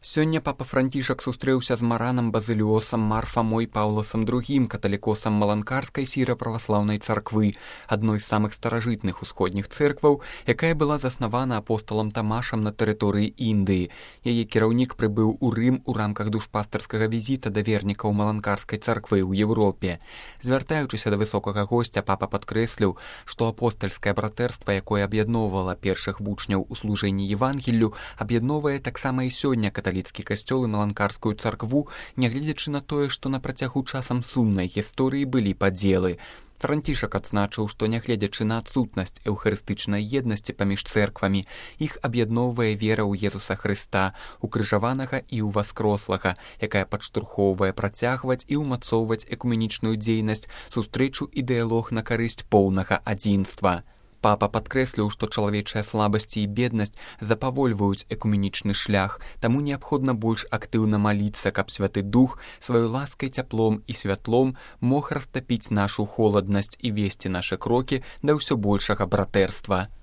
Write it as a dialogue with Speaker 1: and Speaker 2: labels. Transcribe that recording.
Speaker 1: Сёння папа Францішак сустрэўся з Маранам Базыліосам Марфамой Паўласам II, каталікосам Маланкарскай сіра-праваслаўнай царквы, адной з самых старажытных усходніх цэркваў, якая была заснавана апосталам Тамашам на тэрыторыі Індыі. Яе кіраўнік прыбыў у Рым у рамках душпастарскага візіта да вернікаў Маланкарскай царквы ў Еўропе. Звяртаючыся да высокага госця, папа падкрэсліў, што апостальскае братэрства, якое аб'ядноўвала першых вучняў у служэнні Евангеллю, аб'ядноўвае таксама і сёння каталіцкі касцёл і Маланкарскую царкву, нягледзячы на тое, што на працягу часам сумнай гісторыі былі падзелы. Францішак адзначыў, што нягледзячы на адсутнасць эўхарыстычнай еднасці паміж цэрквамі, іх аб'ядноўвае вера ў Езуса Хрыста, укрыжаванага і ўваскрослага, якая падштурхоўвае працягваць і ўмацоўваць экуменічную дзейнасць, сустрэчу і дыялог на карысць поўнага адзінства. Папа падкрэсліў, што чалавечыя слабасці і беднасць запавольваюць экуменічны шлях, таму неабходна больш актыўна маліцца, каб Святы Дух сваёй ласкай, цяплом і святлом мог растапіць нашу холаднасць і весці нашы крокі да ўсё большага братэрства.